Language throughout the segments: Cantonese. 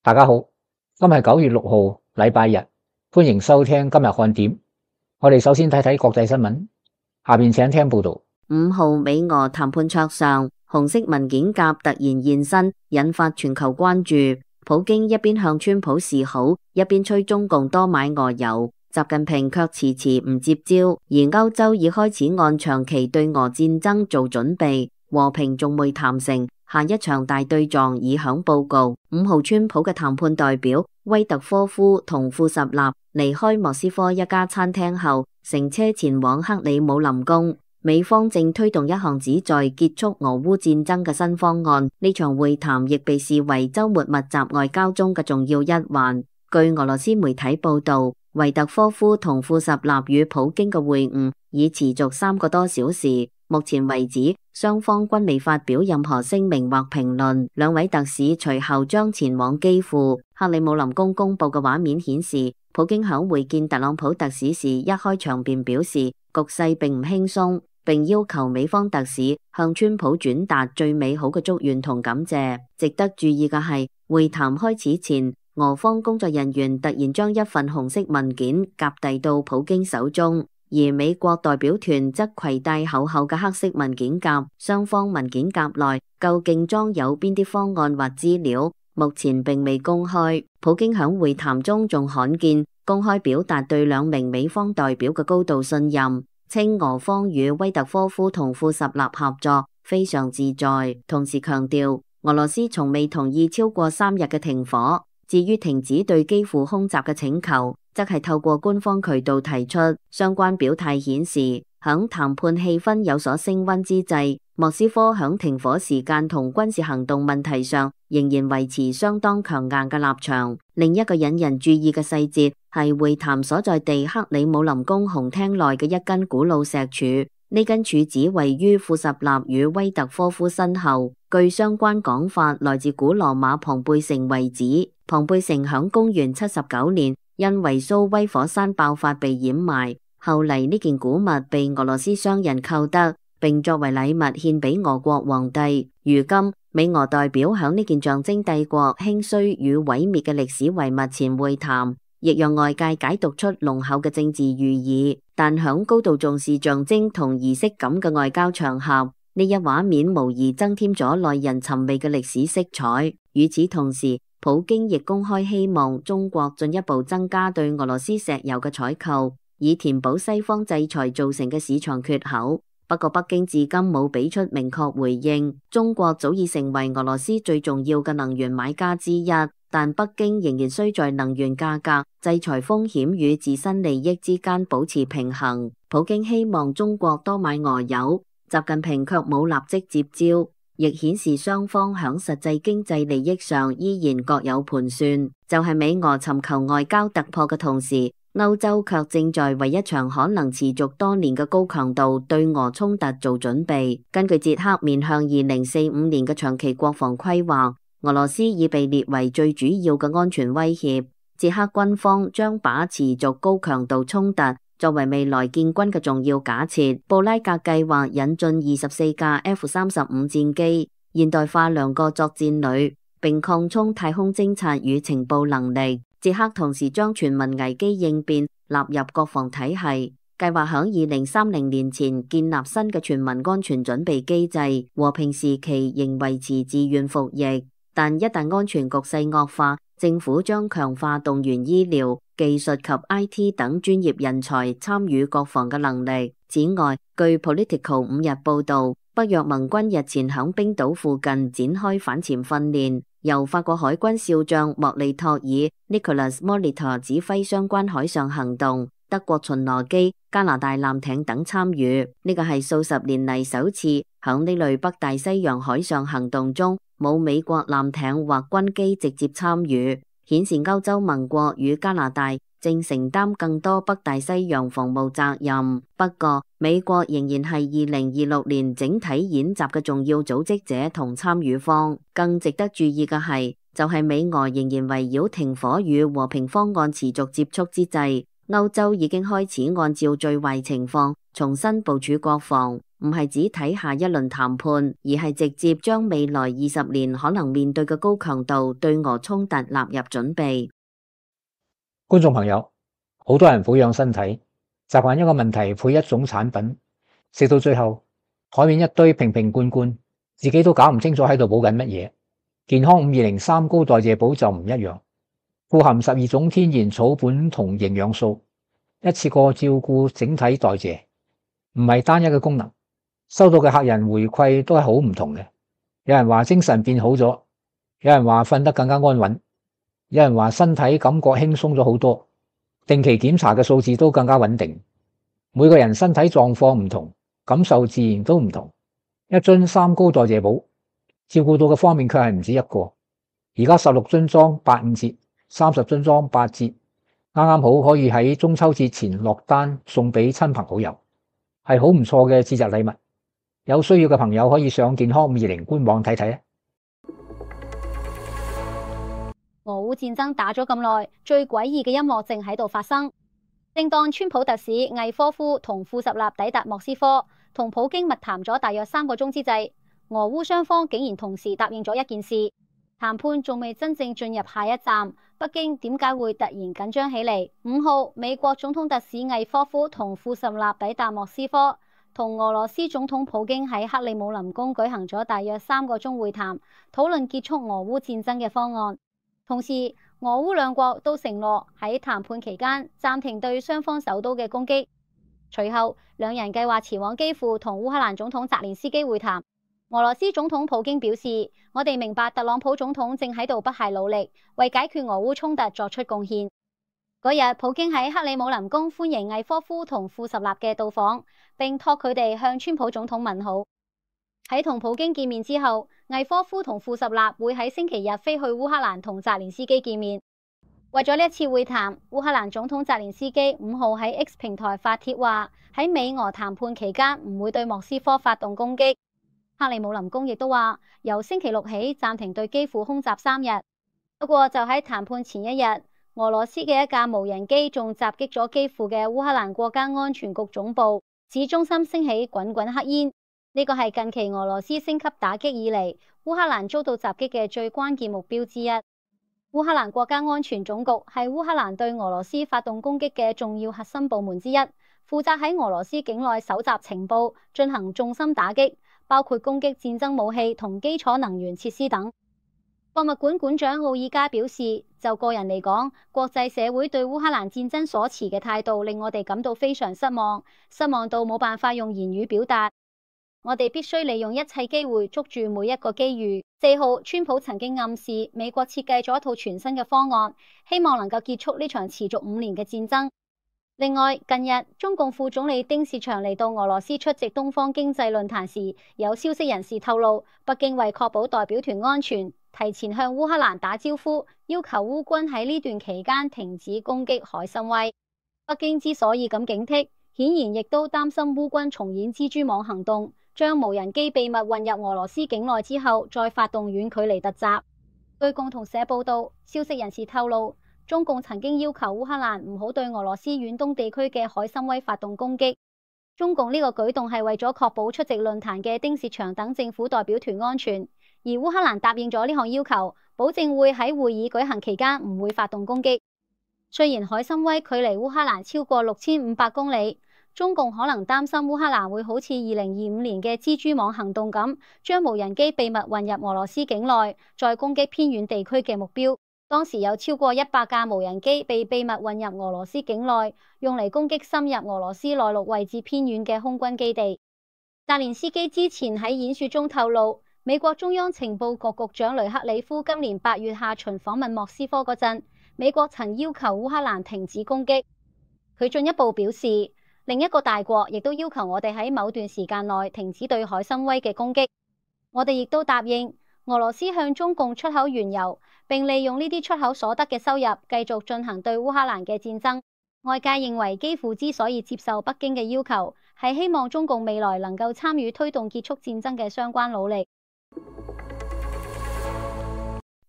大家好，今日係9月6號，禮拜日，歡迎收聽今日看點。我哋首先睇睇國際新聞，下邊請聽報道。5號美俄談判桌上，紅色文件夾突然現身，引發全球關注。普京一邊向川普示好，一邊催中共多買俄油，習近平卻遲遲唔接招。而歐洲已開始按長期對俄戰爭做準備，和平仲未談成，下一場大對撞已響報告。5號川普嘅談判代表威特科夫同庫什納離開莫斯科一家餐廳後，乘車前往克里姆林宮。美方正推動一項旨在結束俄烏戰爭嘅新方案，呢場會談亦被視為週末密集外交中嘅重要一環。據俄羅斯媒體報道，維特科夫同庫什納與普京嘅會晤已持續3個多小時。目前為止，雙方均未發表任何聲明或評論。兩位特使隨後將前往基輔。克里姆林宮公布嘅畫面顯示，普京響會見特朗普特使時一開場便表示局勢並唔輕鬆，並要求美方特使向川普轉達最美好嘅祝願同感謝。值得注意嘅係，會談開始前，俄方工作人員突然將一份紅色文件夾遞到普京手中，而美國代表團則攜帶厚厚嘅黑色文件夾。雙方文件夾內究竟裝有邊啲方案或資料，目前並未公開。普京響會談中仲罕見公開表達對2名美方代表嘅高度信任，稱俄方與威特科夫同庫什納合作非常自在，同時強調俄羅斯從未同意超過3日嘅停火。至於停止對基輔空襲嘅請求，則係透過官方渠道提出。相關表態顯示，響談判氣氛有所升溫之際，莫斯科響停火時間同軍事行動問題上仍然維持相當強硬嘅立場。另一個引人注意嘅細節係會談所在地克里姆林宮紅廳內嘅一根古老石柱，呢根柱子位於庫什納與威特科夫身後。據相關講法，來自古羅馬龐貝城遺址。龐貝城響公元79年因維蘇威火山爆發被掩埋，後嚟呢件古物被俄羅斯商人購得，並作為禮物獻俾俄國皇帝。如今美俄代表響呢件象徵帝國興衰與毀滅嘅歷史遺物前會談，亦讓外界解讀出濃厚嘅政治寓意。但響高度重視象徵同儀式感嘅外交場合，呢一畫面無疑增添咗耐人尋味嘅歷史色彩。與此同時，普京亦公開希望中國進一步增加對俄羅斯石油嘅採購，以填補西方制裁造成嘅市場缺口。不過北京至今冇俾出明確回應。中國早已成為俄羅斯最重要嘅能源買家之一，但北京仍然需在能源價格、制裁風險與自身利益之間保持平衡。普京希望中國多買俄油，習近平卻冇立即接招，亦顯示雙方響實際經濟利益上依然各有盤算。就係美俄尋求外交突破嘅同時，歐洲卻正在為一場可能持續多年嘅高強度對俄衝突做準備。根據捷克面向2045年嘅長期國防規劃，俄羅斯已被列為最主要嘅安全威脅。捷克軍方將把持續高強度衝突作為未來建軍嘅重要假設。布拉格計劃引進24架 F-35戰機，現代化2個作戰旅，並擴充太空偵察與情報能力。捷克同時將全民危機應變納入國防體系，計劃響2030年前建立新嘅全民安全準備機制。和平時期仍維持自願服役，但一旦安全局勢惡化，政府將強化動員醫療、技術及 IT 等專業人才參與國防嘅能力。此外，據 Politico 5日報道，北約盟軍日前響冰島附近展開反潛訓練，由法國海軍少將莫利托爾 Nicolas Molitor 指揮相關海上行動，德國巡邏機、加拿大艦艇等參與。呢個係數十年嚟首次響呢類北大西洋海上行動中冇美國艦艇或軍機直接參與，顯示歐洲盟國與加拿大正承擔更多北大西洋防務責任。不過，美國仍然係2026年整體演習嘅重要組織者同參與方。更值得注意嘅係，就係美俄仍然圍繞停火與和平方案持續接觸之際，歐洲已經開始按照最壞情況重新部署國防。唔係只睇下一輪談判，而係直接將未來20年可能面對嘅高強度對俄衝突納入準備。觀眾朋友，好多人撫養身體，習慣一個問題配一種產品，食到最後台面一堆瓶瓶罐罐，自己都搞唔清楚喺度補緊乜嘢。健康520三高代謝補就唔一樣，富含12種天然草本同營養素，一次過照顧整體代謝，唔係單一嘅功能。收到嘅客人回饋都係好唔同嘅，有人話精神變好咗，有人話瞓得更加安穩，有人話身體感覺輕鬆咗好多，定期檢查嘅數字都更加穩定。每個人身體狀況唔同，感受自然都唔同。一樽三高代謝補，照顧到嘅方面卻係唔止一個。而家16樽裝85折，30樽裝8折，啱啱好可以喺中秋節前落單送俾親朋好友，係好唔錯嘅節日禮物。有需要嘅朋友可以上健康520官網睇睇。俄烏戰爭打咗咁耐，最詭異嘅音樂正喺度發生。正當川普特使魏科夫同庫什納抵達莫斯科，同普京密談咗大約3個鐘之際，俄烏雙方竟然同時答應咗一件事。談判仲未真正進入下一站，北京點解會突然緊張起嚟？5號，美國總統特使魏科夫同庫什納抵達莫斯科，同俄羅斯總統普京喺克里姆林宮舉行咗大約3個鐘會談，討論結束俄烏戰爭嘅方案。同時，俄烏兩國都承諾喺談判期間暫停對雙方首都嘅攻擊。隨後，兩人計劃前往基輔同烏克蘭總統澤連斯基會談。俄羅斯總統普京表示：我哋明白特朗普總統正喺度不懈努力，為解決俄烏衝突作出貢獻。嗰日，普京喺克里姆林宮歡迎魏科夫同庫什納嘅到訪，並託佢哋向川普總統問好。喺同普京見面之後，魏科夫同庫什納會喺星期日飛去烏克蘭同澤連斯基見面。為咗呢一次會談，烏克蘭總統澤連斯基5號喺 X 平台發帖話，喺美俄談判期間唔會對莫斯科發動攻擊。克里姆林宮亦都話，由星期六起暫停對基輔空襲3日。不過就喺談判前一日，俄羅斯嘅一架無人機仲襲擊咗基輔嘅烏克蘭國家安全局總部，市中心升起滾滾黑煙。呢個係近期俄羅斯升級打擊以嚟，烏克蘭遭到襲擊嘅最關鍵目標之一。烏克蘭國家安全總局係烏克蘭對俄羅斯發動攻擊嘅重要核心部門之一，負責喺俄羅斯境內搜集情報，進行重心打擊，包括攻擊戰爭武器同基礎能源設施等。博物館館長奧爾加表示，就個人嚟講，國際社會對烏克蘭戰爭所持嘅態度令我哋感到非常失望，失望到冇辦法用言語表達。我哋必須利用一切機會捉住每一個機遇。4號，川普曾經暗示美國設計咗一套全新嘅方案，希望能夠結束呢場持續5年嘅戰爭。另外，近日中共副總理丁薛祥嚟到俄羅斯出席東方經濟論壇時，有消息人士透露，北京為確保代表團安全，提前向烏克蘭打招呼，要求烏軍喺呢段期間停止攻擊海參崴。北京之所以咁警惕，顯然亦都擔心烏軍重演蜘蛛網行動，將無人機秘密運入俄羅斯境內之後，再發動遠距離突襲。據共同社報道，消息人士透露，中共曾經要求烏克蘭唔好對俄羅斯遠東地區嘅海參崴發動攻擊。中共呢個舉動係為咗確保出席論壇嘅丁薛祥等政府代表團安全，而烏克蘭答應咗呢項要求，保證會喺會議舉行期間唔會發動攻擊。雖然海參崴距離烏克蘭超過6500公里，中共可能擔心烏克蘭會好似2025年嘅蜘蛛網行動咁，將無人機秘密運入俄羅斯境內，再攻擊偏遠地區嘅目標。當時有超過100架無人機被秘密運入俄羅斯境內，用嚟攻擊深入俄羅斯內陸位置偏遠嘅空軍基地。澤連斯基之前喺演說中透露，美國中央情報局局長雷克里夫今年8月下旬訪問莫斯科嗰陣，美國曾要求烏克蘭停止攻擊。佢進一步表示，另一個大國亦都要求我哋喺某段時間內停止對海參崴嘅攻擊。我哋亦都答應俄羅斯向中共出口原油，並利用呢啲出口所得嘅收入繼續進行對烏克蘭嘅戰爭。外界認為基輔之所以接受北京嘅要求，係希望中共未來能夠參與推動結束戰爭嘅相關努力。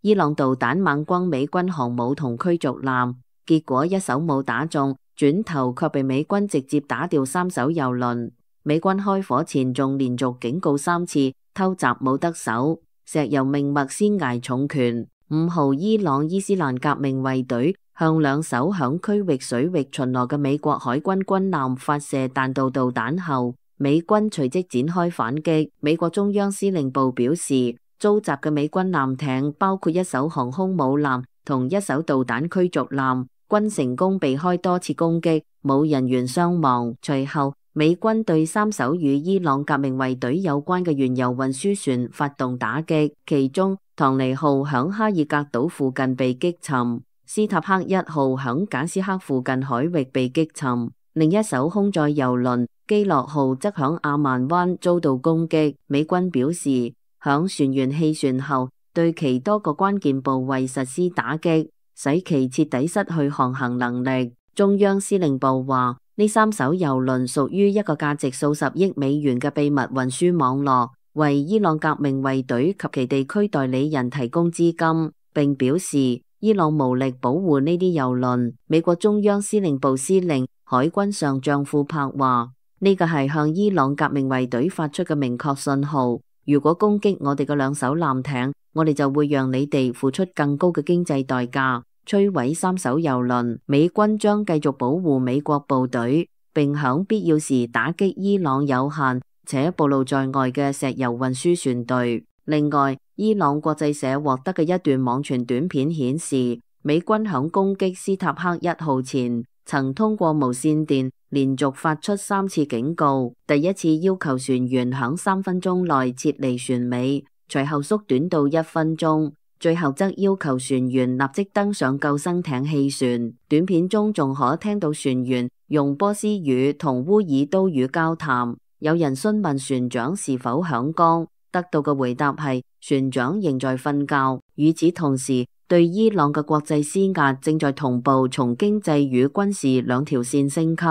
伊朗導彈猛轟美軍航母同驅逐艦，結果一艘冇打中，轉頭卻被美軍直接打掉3艘油輪。美軍開火前仲連續警告3次偷襲冇得手，石油命脈先挨重拳。5號，伊朗伊斯蘭革命衛隊向2艘響區域水域巡邏嘅美國海軍軍艦發射彈道導彈後，美軍隨即展開反擊。美國中央司令部表示，遭襲嘅美軍艦艇包括1艘航空母艦同1艘導彈驅逐艦，均成功避開多次攻擊，冇人員傷亡。隨後，美軍對3艘與伊朗革命衛隊有關嘅原油運輸船發動打擊，其中唐尼號響哈爾格島附近被擊沉，斯塔克1號響賈斯克附近海域被擊沉，另一艘空載油輪基洛號則響阿曼灣遭到攻擊。美軍表示，響船員棄船後，對其多個關鍵部位實施打擊，使其徹底失去航行能力。中央司令部話，呢3艘油輪屬於一個價值數十億美元嘅秘密運輸網絡，為伊朗革命衛隊及其地區代理人提供資金，並表示伊朗無力保護呢啲油輪。美國中央司令部司令海軍上將庫珀話，呢個係向伊朗革命衛隊發出嘅明確信號，如果攻擊我哋嘅2艘艦艇，我哋就會讓你哋付出更高嘅經濟代價。摧毀3艘油輪，美軍將繼續保護美國部隊，並響必要時打擊伊朗有限且暴露在外嘅石油運輸船隊。另外，伊朗國際社獲得嘅一段網傳短片顯示，美軍響攻擊斯塔克1號前，曾通過無線電連續發出3次警告，第一次要求船員響3分鐘內撤離船尾，隨後縮短到1分鐘。最後則要求船員立即登上救生艇棄船。短片中仲可聽到船員用波斯語同烏爾都語交談。有人詢問船長是否響崗，得到嘅回答係船長仍在瞓覺。與此同時，對伊朗嘅國際施壓正在同步從經濟與軍事2條線升級。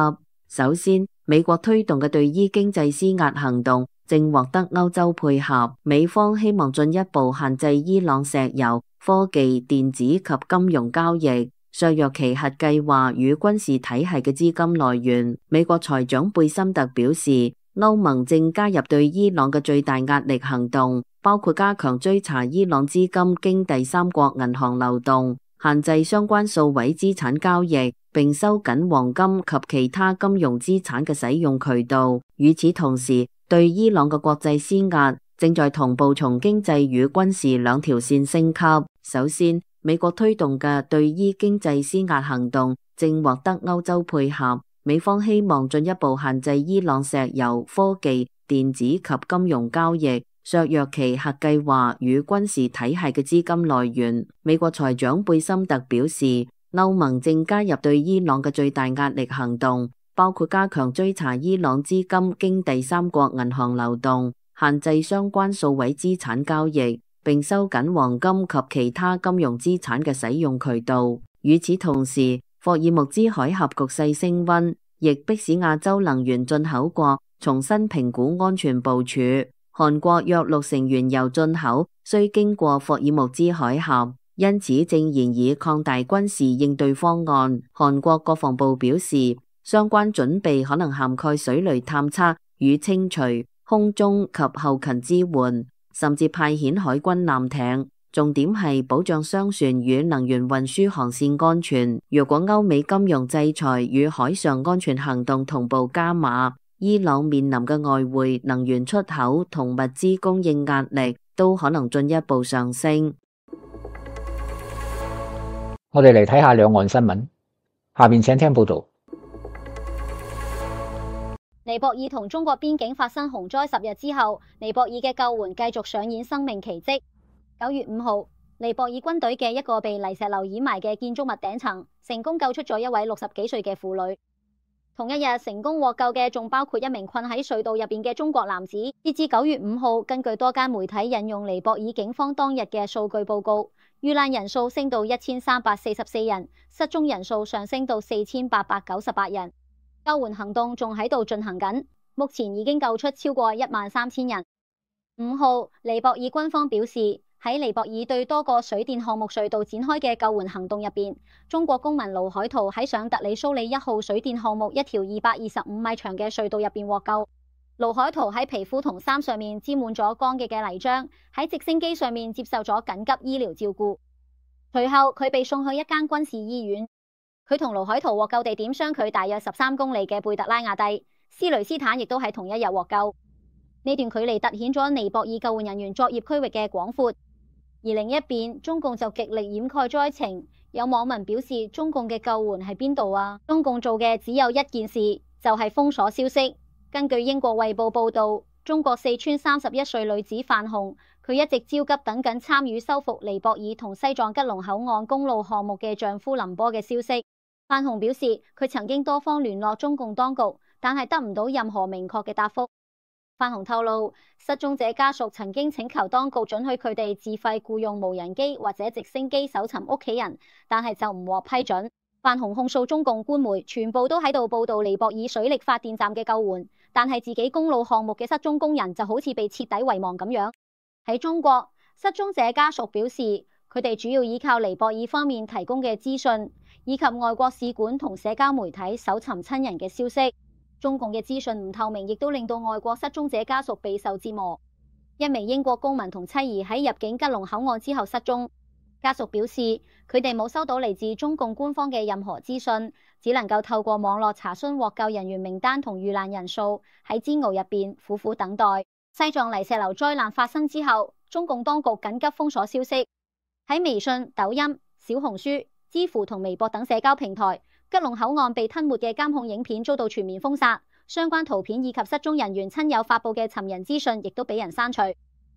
首先，美國推動嘅對伊經濟施壓行動正獲得歐洲配合，美方希望進一步限制伊朗石油、科技、電子及金融交易，削弱其核計劃與軍事體系嘅資金來源。美國財長貝森特表示，歐盟正加入對伊朗嘅最大壓力行動，包括加強追查伊朗資金經第三國銀行流動，限制相關數位資產交易，並收緊黃金及其他金融資產嘅使用渠道。與此同時，對伊朗嘅國際施壓正在同步從經濟與軍事2條線升級。首先，美國推動嘅對伊經濟施壓行動正獲得歐洲配合，美方希望進一步限制伊朗石油、科技、電子及金融交易，削弱其核計劃與軍事體系嘅資金來源。美國財長貝森特表示，歐盟正加入對伊朗嘅最大壓力行動，包括加強追查伊朗資金經第三國銀行流動，限制相關數位資產交易，並收緊黃金及其他金融資產嘅使用渠道。與此同時，霍爾木茲海峽局勢升溫，亦迫使亞洲能源進口國重新評估安全部署。韓國約6成原油進口需經過霍爾木茲海峽，因此正研議擴大軍事應對方案。韓國國防部表示，相關準備可能涵蓋水雷探測與清除、空中及後勤支援，甚至派遣海軍艦艇。重點係保障商船與能源運輸航線安全。如果歐美金融制裁與海上安全行動同步加碼，伊朗面臨嘅外匯、能源出口同物資供應壓力都可能進一步上升。我哋嚟睇下兩岸新聞，下面請聽報道。尼泊爾同中國邊境發生洪災10日之後，尼泊爾嘅救援繼續上演生命奇蹟。9月5號，尼泊爾軍隊嘅一個被泥石流掩埋嘅建築物頂層，成功救出咗一位60幾歲嘅婦女。同一日成功獲救嘅仲包括一名困喺隧道入邊嘅中國男子。截至9月5號，根據多間媒體引用尼泊爾警方當日嘅數據報告，遇難人數升到1344人，失蹤人數上升到4898人。救援行動仲喺度進行緊，目前已經救出超過13000人。5號，尼泊爾軍方表示，喺尼泊爾對多個水電項目隧道展開嘅救援行動入邊，中國公民盧海圖喺上特里蘇里1號水電項目一條225米長嘅隧道入邊獲救。盧海圖喺皮膚同衫上面沾滿咗乾嘅泥漿，喺直升機上面接受咗緊急醫療照顧。隨後佢被送去一間軍事醫院。佢同盧海圖獲救地點相距大約13公里嘅貝特拉亞蒂，斯雷斯坦亦都喺同一日獲救。呢段距離凸顯咗尼泊爾救援人員作業區域嘅廣闊。而另一邊，中共就極力掩蓋災情。有網民表示，中共嘅救援喺邊度啊？中共做嘅只有一件事，就係封鎖消息。根據英國衛報報道，中國四川31歲女子范紅，佢一直焦急等緊參與修復尼泊爾同西藏吉隆口岸公路項目嘅丈夫林波嘅消息。范紅表示，佢曾經多方聯絡中共當局，但係得唔到任何明確嘅答覆。范紅透露，失蹤者家屬曾經請求當局准許佢哋自費僱用無人機或者直升機搜尋屋企人，但係就唔獲批准。范紅控訴中共官媒全部都喺度報道尼泊爾水力發電站嘅救援，但係自己公路項目嘅失蹤工人就好似被徹底遺忘咁樣。喺中國，失蹤者家屬表示，佢哋主要依靠尼泊爾方面提供嘅資訊，以及外國使館同社交媒體搜尋親人嘅消息。中共嘅資訊唔透明，亦都令到外國失蹤者家屬備受折磨。一名英國公民同妻兒喺入境吉隆口岸之後失蹤，家屬表示佢哋冇收到嚟自中共官方嘅任何資訊，只能夠透過網絡查詢獲救人員名單同遇難人數，喺煎熬入邊苦苦等待。西藏泥石流災難發生之後，中共當局緊急封鎖消息，喺微信、抖音、小紅書、知乎同微博等社交平台，吉隆口岸被吞沒嘅監控影片遭到全面封殺，相關圖片以及失蹤人員親友發布嘅尋人資訊亦都俾人刪除。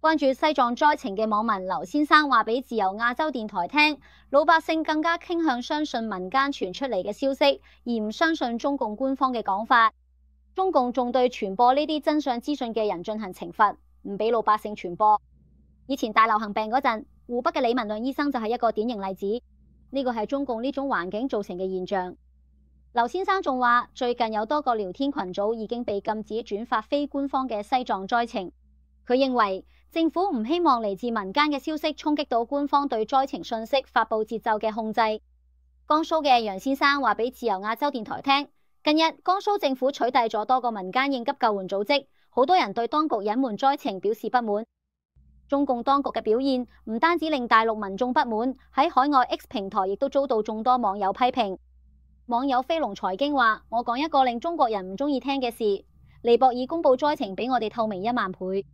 關注西藏災情嘅網民劉先生話俾自由亞洲電台聽，老百姓更加傾向相信民間傳出嚟嘅消息，而唔相信中共官方嘅講法。中共仲對傳播呢啲真相資訊嘅人進行懲罰，唔俾老百姓傳播。以前大流行病嗰陣，湖北嘅李文亮醫生就係一個典型例子。呢個係中共呢種環境造成嘅現象。劉先生仲話，最近有多個聊天群組已經被禁止轉發非官方嘅西藏災情。佢認為政府唔希望嚟自民間嘅消息衝擊到官方對災情信息發佈節奏嘅控制。江蘇嘅楊先生話俾自由亞洲電台聽，近日江蘇政府取締咗多個民間應急救援組織，好多人對當局隱瞞災情表示不滿。中共當局嘅表現唔單止令大陸民眾不滿，喺海外 X 平台亦都遭到眾多網友批評。網友飛龍財經話，我講一個令中國人唔中意聽嘅事，尼泊爾公布災情比我哋透明10000倍。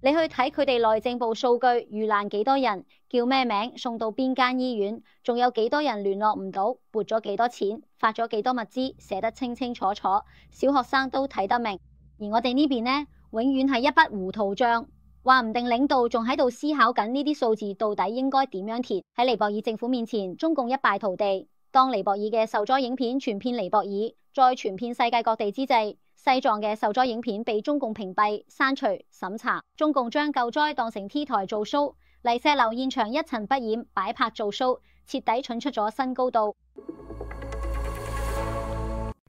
你去睇佢哋內政部數據，遇難幾多人，叫咩名，送到邊間醫院，仲有幾多人聯絡唔到，撥咗幾多錢，發咗幾多物資，寫得清清楚楚，小學生都睇得明。而我哋呢邊呢，永遠係一筆糊塗賬，話唔定領導仲喺度思考緊呢啲數字到底應該點樣填。喺尼泊爾政府面前，中共一敗塗地。當尼泊爾嘅受災影片傳遍尼泊爾，再傳遍世界各地之際，西藏嘅受災影片被中共屏蔽、刪除、審查。中共將救災當成 T 台做 show， 泥石流現場一塵不染，擺拍做 show， 徹底蠢出咗新高度。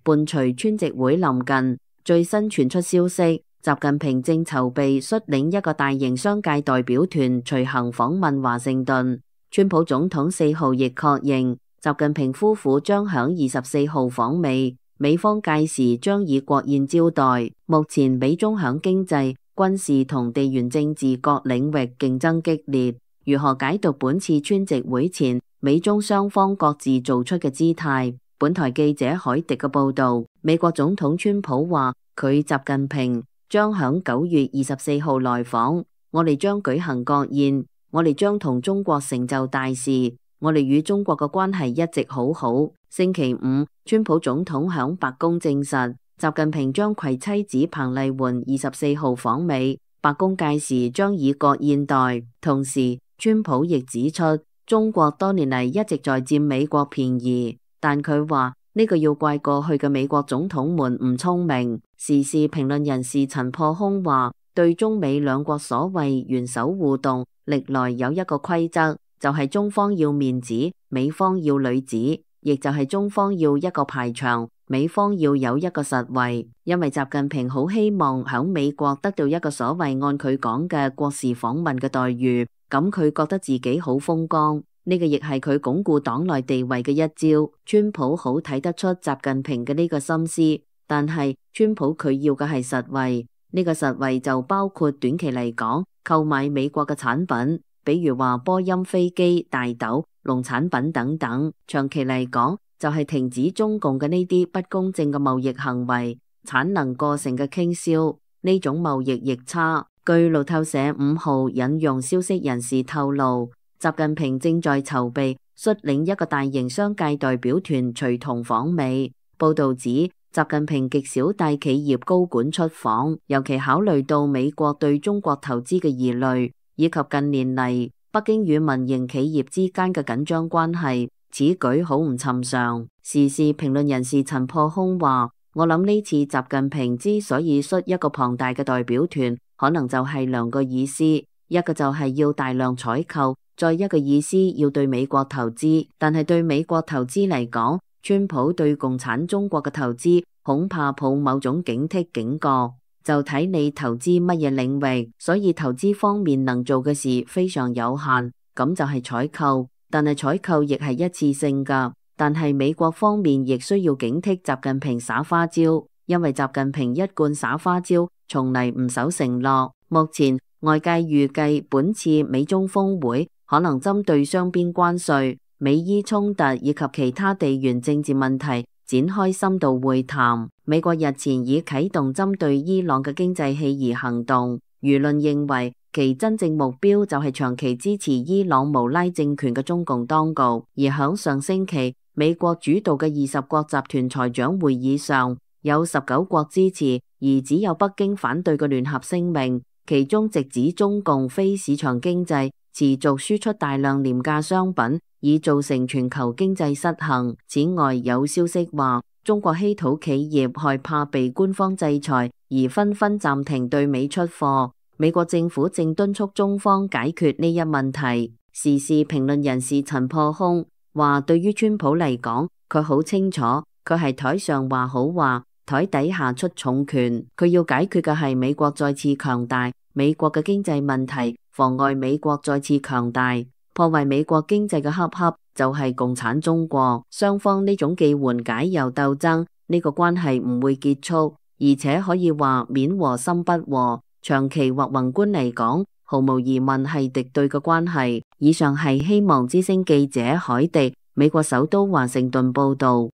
伴隨川籍會臨近，最新傳出消息，習近平正籌備率領一個大型商界代表團隨行訪問華盛頓。川普總統4號亦確認，習近平夫婦將響24號訪美，美方屆時將以國宴招待。目前美中響經濟、軍事同地緣政治各領域競爭激烈，如何解讀本次川籍會前美中雙方各自做出嘅姿態？本台記者海迪嘅報道，美國總統川普話佢習近平將響9月24號來訪，我哋將舉行國宴，我哋將同中國成就大事。我哋與中國嘅關係一直好好。星期五，川普總統響白宮證實，習近平將攜妻子彭麗媛24號訪美，白宮屆時將以國宴待。同時，川普亦指出，中國多年嚟一直在佔美國便宜，但佢話呢個要怪過去嘅美國總統們唔聰明。時事評論人士陳破空話，對中美兩國所謂元首互動，歷來有一個規則。就係中方要面子，美方要裏子，亦就係中方要一個排場，美方要有一個實惠。因為習近平好希望響美國得到一個所謂按佢講嘅國事訪問嘅待遇，咁佢覺得自己好風光，呢個亦係佢鞏固黨內地位嘅一招。川普好睇得出習近平嘅呢個心思，但係川普佢要嘅係實惠，呢個實惠就包括短期嚟講購買美國嘅產品，比如話波音飛機、大豆、農產品等等；長期嚟講就係停止中共嘅呢啲不公正嘅貿易行為，產能過剩嘅傾銷，呢種貿易逆差。據路透社5號引用消息人士透露，習近平正在籌備率領一個大型商界代表團隨同訪美。報道指，習近平極少帶企業高管出訪，尤其考慮到美國對中國投資嘅疑慮，以及近年嚟北京與民營企業之間嘅緊張關係，此舉好唔尋常。時事評論人士陳破空話：我諗呢次習近平之所以率一個龐大嘅代表團，可能就係兩個意思，一個就係要大量採購，再一個意思要對美國投資。但係對美國投資嚟講，川普對共產中國嘅投資恐怕抱某種警惕警覺，就睇你投資乜嘢領域，所以投資方面能做嘅事非常有限，咁就係採購，但係採購亦係一次性㗎。但係美國方面亦需要警惕習近平耍花招，因為習近平一貫耍花招，從嚟唔守承諾。目前外界預計本次美中峰會可能針對雙邊關稅、美伊衝突以及其他地緣政治問題展開深度會談。美國日前已啟動針對伊朗嘅經濟棄夷行動，輿論認為其真正目標就係長期支持伊朗無拉政權嘅中共當局。而響上星期，美國主導嘅20國集團財長會議上，有19國支持，而只有北京反對嘅聯合聲明，其中直指中共非市場經濟持續輸出大量廉價商品，已造成全球經濟失衡。此外，有消息話，中國稀土企業害怕被官方制裁，而紛紛暫停對美出貨。美國政府正敦促中方解決呢一問題。時事評論人士陳破空話，對於川普嚟講，佢好清楚，佢係台上話好話，台底下出重拳。佢要解決嘅係美國再次強大，美國嘅經濟問題妨礙美國再次強大，破壞美國經濟嘅黑盒就係共產中國。雙方呢種既緩解又鬥爭，呢個關係唔會結束，而且可以話面和心不和。長期或宏觀嚟講，毫無疑問係敵對嘅關係。以上係希望之聲記者海迪，美國首都華盛頓報道。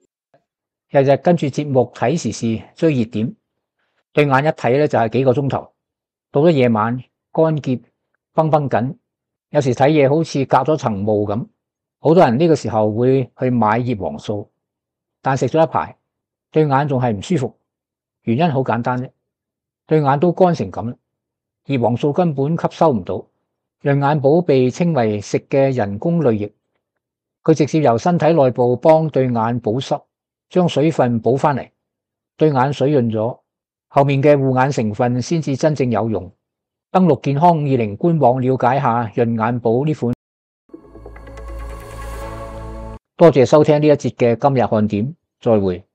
日日跟住節目睇時事追熱點，對眼一睇咧就係幾個鐘頭，到咗夜晚乾澀繃繃緊，有時睇嘢好似隔咗層霧咁。好多人呢個時候會去買葉黃素，但食咗一排，對眼仲係唔舒服，原因好簡單啫。對眼都乾成咁啦，葉黃素根本吸收唔到。潤眼寶被稱為食嘅人工淚液，佢直接由身體內部幫對眼保濕，將水分補翻嚟，對眼水潤咗，後面嘅護眼成分先至真正有用。登錄健康520官網了解下潤眼寶呢款。多謝收聽呢一節嘅今日看點，再會。